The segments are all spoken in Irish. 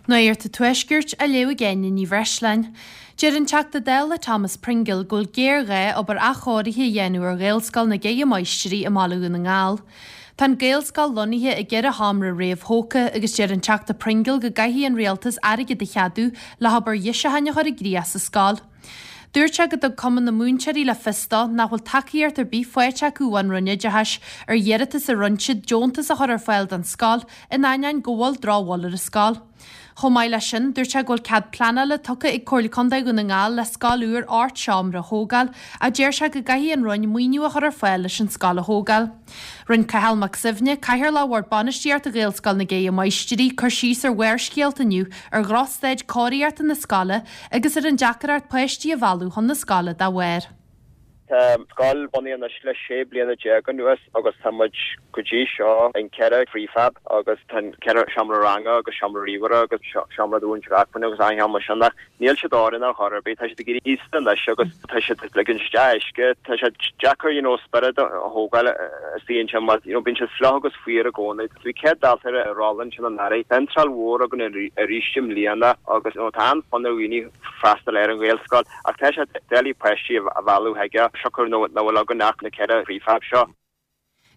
Nuacht an Tuaiscirt á léamh ag Áine Ní Bhreisleáin. Deir an Teachta Dála Thomas Pringle go bhfuil géarghá obair athchóirithe a dhéanamh ar Ghaelscoil na gCeithre Máistrí i mBaile Dhún na nGall. Tá an Ghaelscoil lonnaithe i gceithre sheomra réamhthógtha agus deir an Teachta Pringle go gcaithfidh an Rialtas airgead a cheadú le hobair dheisiúcháin a chur i gcrích sa scoil. Dúirt sé go dtug Cumann na Múinteoirí le fios dó nach bhfuil tacaíocht ar bith faighte acu ón Roinn Oideachais ar iarratas a rinne siad deontas a chur ar fáil don scoil in ainneoin go bhfuil drochbhail ar an scoil. Chomh maith leis sin, dúirt sé go bhfuil cead pleanála tugtha ag Comhairle Contae Dhún na nGall le scoil úr 8 seomra a thógáil ach deir sé go gcaithfidh an Roinn maoiniú a chur ar fáil leis an scoil a thógáil. Rinne Cathal Mac Suibhne, Cathaoirleach Bhord Bainistíochta Ghaelscoil na gCeithre Máistrí, cur síos ar Bharrscéalta inniu ar dhrochstaid cóiríochta na scoile agus ar an deacracht páistí a mhealladh chun na scoile dá bharr. Tá an scoil bunaithe anois le 16 bliana anuas agus tá muid go dtí seo in 4 prefab agus tá an 4 seomra ranga agus seomra ríomhaire agus seomra do mhúinteoir acmhainne agus achan sheomra sin ach níl siad oiriúnach ar chor ar bith. Tá siad ag éirí aosta anois agus tá siad ag ligint isteach uisce. Tá sé deacair you know spiorad a thógáil istigh ansin mar you know bíonn siad fliuch agus fuar i gcónaí. Bhí 100 dalta ar an rolla ansin anuraidh. Tá iontráil mhór againn arís i mbliana agus tá an-fhonn ar dhaoine freastal ar an Ghaelscoil ach tá sé doiligh páistí a mhealladh chuige siocair nach bhfuil againn ach na 4 prefab seo.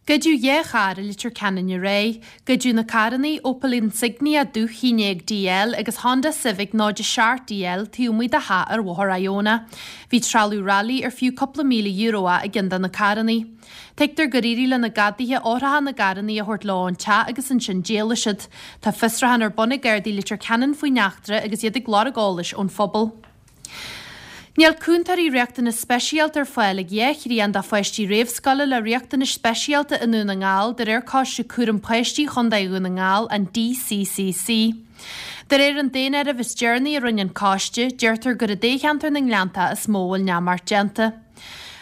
Goideadh 2 charr i Leitir Ceanainn aréir. Goideadh na carranna, Opel Insignia dubh 11 DL agus Honda Civic 07 DL taobh amuigh de theach ar Bhóthar Iona. Bhí trealamh railí ar fiú cúpla €1,000 é i gceann de na carranna. Tuigtear gur éirigh le na gadaithe eochracha na gcarranna a thabhairt leo ón teach agus ansin d'éalaigh siad. Tá fiosrúchán ar bun ag Gardaí Leitir Ceanainn faoin eachtra agus iad ag lorg eolais ón phobal. Níl cúntóirí riachtanas speisialta ar fáil ag 2 thrian de pháistí réamhscoile le riachtanais speisialta i nDún na nGall, de réir Coiste Cúram Páistí Chontae Dhún na nGall, an DCCC. De réir an daonáirimh is deireanaí a rinne an coiste, deirtear gur i dtoghcheantar na nGleanntach is mó a bhfuil neamart déanta.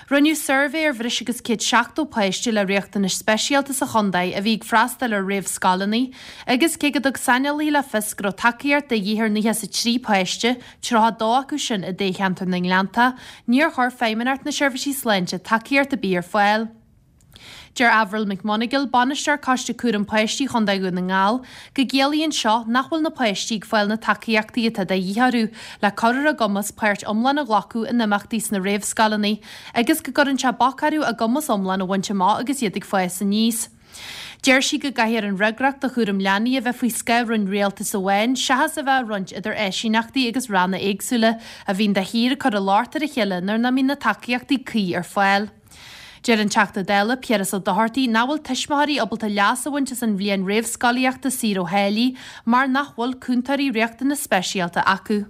Rinneadh suirbhé ar bhreis agus 170 páiste le riachtanais speisialta sa chontae a bhí ag freastal ar réamhscoileanna agus cé go dtug saineolaithe le fios go raibh tacaíocht de dhíth ar 93 páiste, 32 acu sin i dtoghcheantar na nGleanntach, níor chuir Feidhmeannacht na Seirbhísí Sláinte tacaíocht ar bith ar fáil. Deir Avril McMonagle, Bainisteoir Coiste Cúram Páistí Chontae Dhún na nGall, go gciallaíonn seo nach bhfuil na páistí ag fáil na tacaíochtaí atá de dhíth orthu le cur ar a gcumas páirt iomlán a ghlacadh in imeachtaí sna réamhscoileanna agus go gcuireann sé bac orthu a gcumas iomlán a bhaint amach agus iad ag fás aníos. Deir sí go gcaithfear an fhreagracht do chúram leanaí a bheith faoi scáth roinn rialtais amháin seachas a bheith á roinnt idir áisíneachtaí agus ranna éagsúla a bhíonn de shíor ag cur an locht ar a chéile nuair nach mbíonn na tacaíochtaí cuí ar fáil. Deir an Teachta Dála Piaras Ó Dochartaigh nach bhfuil tuismitheoirí ábalta leas a bhaint as an bhliain réamhscolaíochta saor ó tháillí mar nach bhfuil cúntóirí riachtanas speisialta acu.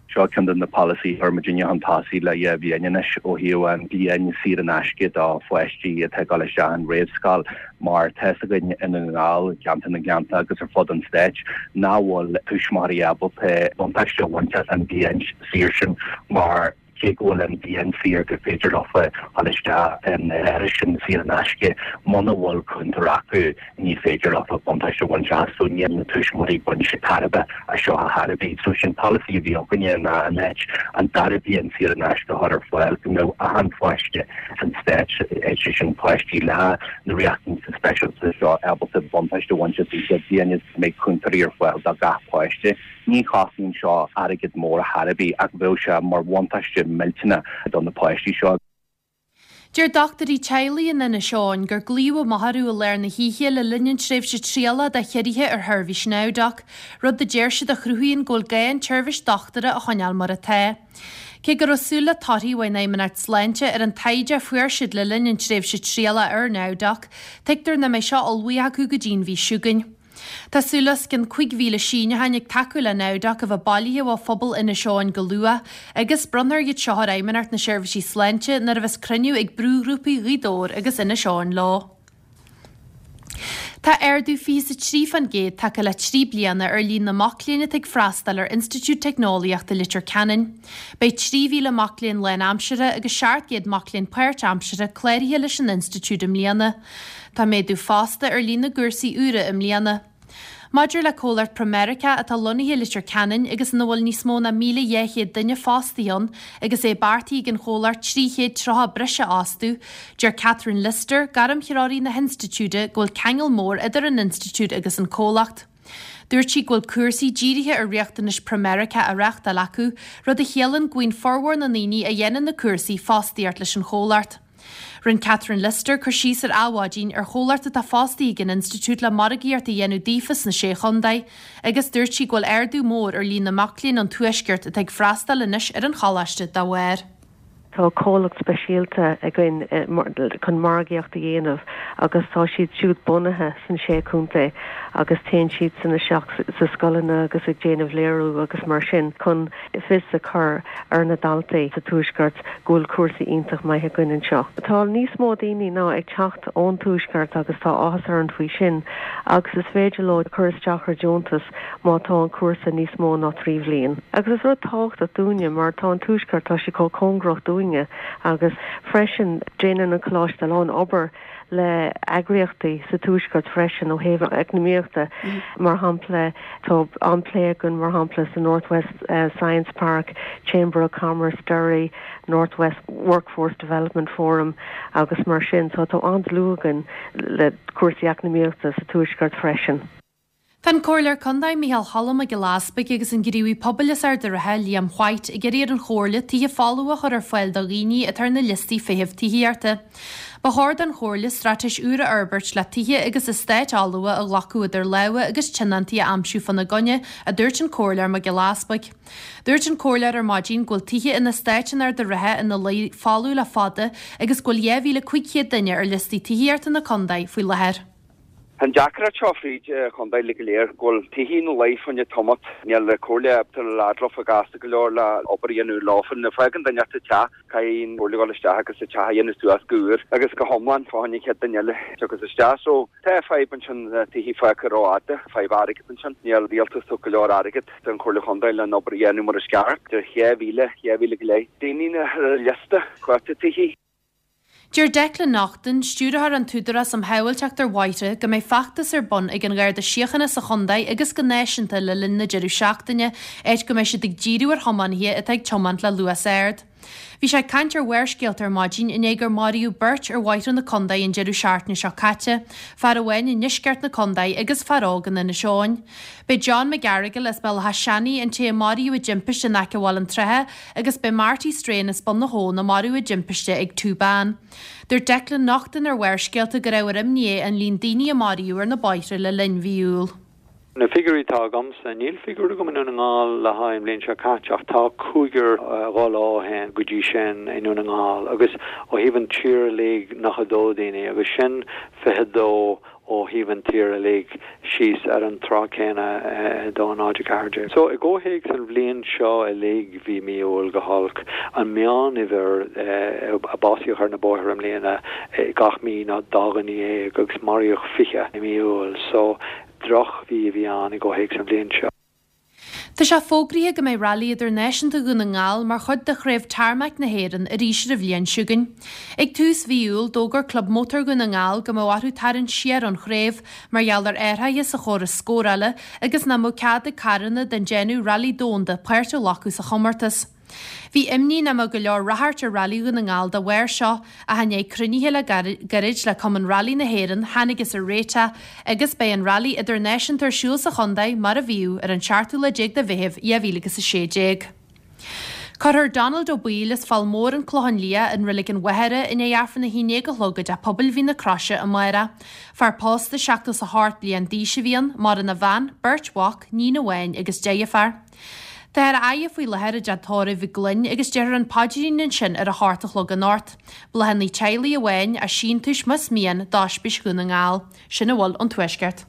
Seo ceann de na polasaithe a chuir muidinne chun tosaigh le 2 bhliain anois ó thaobh an bhliain saor in aisce do pháistí atá ag dul isteach an réamhscoil mar tá fhios againn i nDún na nGall, i gceantar na nGleannta agus ar fud an stáit nach bhfuil tuismitheoirí ábalta buntáiste a bhaint as an bhliain saor sin mar Cé go bhfuil an bhliain saor gur féidir leofa dhul isteach in áras sin saor in aisce, muna bhfuil cúntóir acu ní féidir leofa buntáiste a bhaint as so níl na tuismitheoirí ag baint tairbhe as seo ar chor ar bith. So sin polasaí a bhí againne ná in áit an dara bliain saor in aisce a chur ar fáil go mbeadh achan pháiste san stát, sé sin páistí le na riachtanais speisialta seo ábalta buntáiste a bhaint as an chéad bhliain is go mbeidh cúntóirí ar fáil do gach páiste. Ní chosnaíonn seo airgead mór ar chor ar bith ach bheadh sé mar bhuntáiste millteanach do na páistí seo. Deir dochtúirí teaghlaigh in Inis Eoghain gur glaodh amach orthu i lár na hoíche le linn an tréimhse trialach do chiorruithe ar sheirbhís NowDoc, rud a deir siad a chruthaíonn go bhfuil gá an tseirbhís dochtúra a choinneáil mar atá. Cé go raibh súil le torthaí ón Fheidhmeannacht Sláinte ar an taighde a fuair siad le linn an tréimhse trialach ar NowDoc, tuigtear nach mbeidh seo ullmhaithe acu go dtí'n mhí seo chugainn. Tá súil le os cionn 5,000 síniúcháin ag tacú le NowDoc a bheith bailithe ó phobal Inis Eoghain go luath agus bronnfar iad seo ar Fheidhmeannacht na Seirbhísí Sláinte nuair a bheas cruinniú ag brúghrúpaí Ghaoth Dobhair agus Inis Eoghain leo. Tá ardú 23% tagtha le 3 bliana ar líon na mac léinn atá ag freastal ar Institiúid Teicneolaíochta Leitir Ceanainn. Beidh 3,000 mac léinn lánaimseartha agus 700 mac léinn páirtaimseartha cláraithe leis an institiúid i mbliana. Tá méadú fosta ar líon na gcúrsaí úra i mbliana. Maidir le comhlacht Pramerica atá lonnaithe i Leitir Ceanainn agus ina bhfuil níos mó ná 1,200 duine fostaithe ann agus é beartaithe ag an chomhlacht 330 breise a fhostú, deir Catherine Lister, gairmthreoraí na hinstitiúide, go bhfuil ceangal mór idir an institiúid agus an comhlacht. Dúirt sí go bhfuil cúrsaí dírithe ar riachtanais Pramerica á reáchtáil acu, rud a chiallaíonn go bhfaigheann formhór na ndaoine a dhéanann na cúrsaí fostaíocht leis an chomhlacht. Rinne Catherine Lyster cur síos ar Adhmhaidin ar chomhlacht atá fostaithe ag an institiúid le margaíocht a dhéanamh daofa sna Sé Chontae agus dúirt sí go bhfuil ardú mór ar líon na mac léinn ón Tuaisceart atá ag freastal anois ar an choláiste dá bharr. Tá comhlacht speisialta againn chun margaíocht a dhéanamh agus tá siad siúd bunaithe sna Sé Chontae agus téann siadsan isteach sa scoileanna agus ag déanamh léiriú agus mar sin chun fios a chur ar na daltaí sa Tuaisceart go bhfuil cúrsaí iontach maith againn anseo. Tá níos mó daoine ná ag teacht ón Tuaisceart agus tá áthas orainn faoi sin agus is féidir leo cur isteach ar deontas má tá an cúrsa níos mó ná 3 bhliain. Agus is rud tábhachtach dúinne mar tá an Tuaisceart, tá sé chomh cóngarach dúinne agus freisin déanann an Coláiste a lán obair le eagraíochtaí sa Tuaisceart freisin ó thaobh eacnamaíochta. Mar shampla, tá an-plé againn mar shampla sa North West Science Park, Chamber of Commerce, Derry, North West Workforce Development Forum agus mar sin. So tá an-dlúth againn le cúrsaí eacnamaíochta sa Tuaisceart freisin. Tá an Comhairleoir Contae Micheál Cholm Mac Giolla Easpaig agus an gníomhaí pobail as Ard an Rátha, Liam White, ag iarraidh ar an Chomhairle tithe folmha a chur ar fáil do dhaoine atá ar na liostaí feithimh tithíochta. Ba chóir don Chomhairle straitéis úr a fhorbairt le tithe agus eastáit fholmha a ghlacadh idir lámha agus tionóntaí a aimsiú fána gcoinne, a dúirt an Comhairleoir Mac Giolla Easpaig. Dúirt an Comhairleoir ar maidin go bhfuil tithe in eastáit in Ard an Rátha ina luí folamh le fada agus go bhfuil 2,500 duine ar liostaí tithíochta na contae faoi láthair. Tá an deacracht seo fríd an chontae uilig go léir, go bhfuil tithe ina luí fá choinne tamalt. Níl an comhairle ábalta labhairt leofa gasta go leor le obair a dhéanamh leofa. Nuair a fágann duine an teach, caithfidh an comhairle dhul isteach agus an teach a dhéanamh suas go úr agus go hiomlán fá choinne an chéad duine eile a thiocfas isteach. So, tá fadhb ansin, tithe fágtha rófhada, fadhb airgid ansin. Níl rialtas ag tabhairt go leor airgid don chomhairle chontae le an obair a dhéanamh mar is ceart. Idir 2,000, 2,000 go leith daoine ar an liosta cuartaithe tithe. Deir Declan Naughton, Stiúrthóir an tÚdarás um Shábháilteacht ar Bhóithre, go mbeidh feachtas ar bun ag an Gharda Síochána sa chontae agus go náisiúnta le linn na deireadh seachtaine, áit go mbeidh siad ag díriú ar thiománaithe atá ag tiomáint le luas ard. Bhí sé ag caint ar Bharrscéalta ar maidin i ndiaidh gur maraíodh beirt ar bhóithre na contae an deireadh seachtaine seo caite, fear amháin i ndeisceart na contae agus fear óg in Inis Eoghain. B'é John McGarrigle as Béal Átha Seanaidh an té a maraíodh i dtimpiste in aice Bhaile an tSratha agus b'é Marty Strahan as Bun na hAbhann a maraíodh i dtimpiste ag Tú Bán. Dúirt Declan Naughton ar Bharrscéalta gur ábhar imní é an líon daoine a maraíodh ar na bóithre le linn mhí Iúil. Na figiúirí atá agamsa, níl figiúr agam i nDún na nGall le haghaidh an bhliain seo caite ach tá cúigear 2 lá ó shin go dtí sin i nDún na nGall agus ó thaobh an tír uilig 92 daoine agus sin 22 ó thaobh an tír uilig síos ar an tráth céanna i 2 0 14. So i gcomhthéacs an bhliain seo uilig bhí mí Iúil go holc. An meánuimhir a básaíodh ar na bóithre i mbliana gach mí ná 12 dhuine agus maraíodh 20 i mí Iúil. So droch mhí a bhí ann i gcomhthéacs an bhliain seo. Tá sé fógraithe go mbeidh Railí Idirnáisiúnta Dhún na nGall mar chuid de Chraobh Tarmac na hÉireann arís ar an bhliain seo chugainn. Ag tús mhí Iúil, d'fhógair Club Mótar Dhún na nGall go mbeadh orthu tarraingt siar ón chraobh mar gheall ar athruithe sa chóras scórála agus nach mbeadh cead ag carranna den déanamh Railí Domhanda páirt a ghlacadh sa chomórtas. Bhí imní nach mbeadh go leor ráchairt ar Railí Dhún na nGall dá bharr seo, ach i ndiaidh cruinnithe le gairid le Cumann Railí na hÉireann thángthas ar réiteach agus beidh an Railí Idirnáisiúnta ar siúl sa chontae mar a bhíodh ar an seachtú lá déag de Mheitheamh 2016. Cuirfear Donald Ó Baoill as Fál Mór an Clochán Liath in Reilig an Mhachaire i ndiaidh Aifreann a haon déag a chlog i dTeach Pobail Mhín na Croise amárach. Fear pósta 78 bliain d'aois a bhí ann, maireann a bhean, beirt mhac, níon amháin agus deirfiúr. Táthar á fhaire faoi láthair i dteach tórraimh i gCloinn agus déarfar an paidrín ansin ar a hocht a chlog anocht. Bláthanna teaghlaigh amháin, as síntiúis más mian, d'Oispís Dhún na nGall. Sin a bhfuil ón Tuaisceart.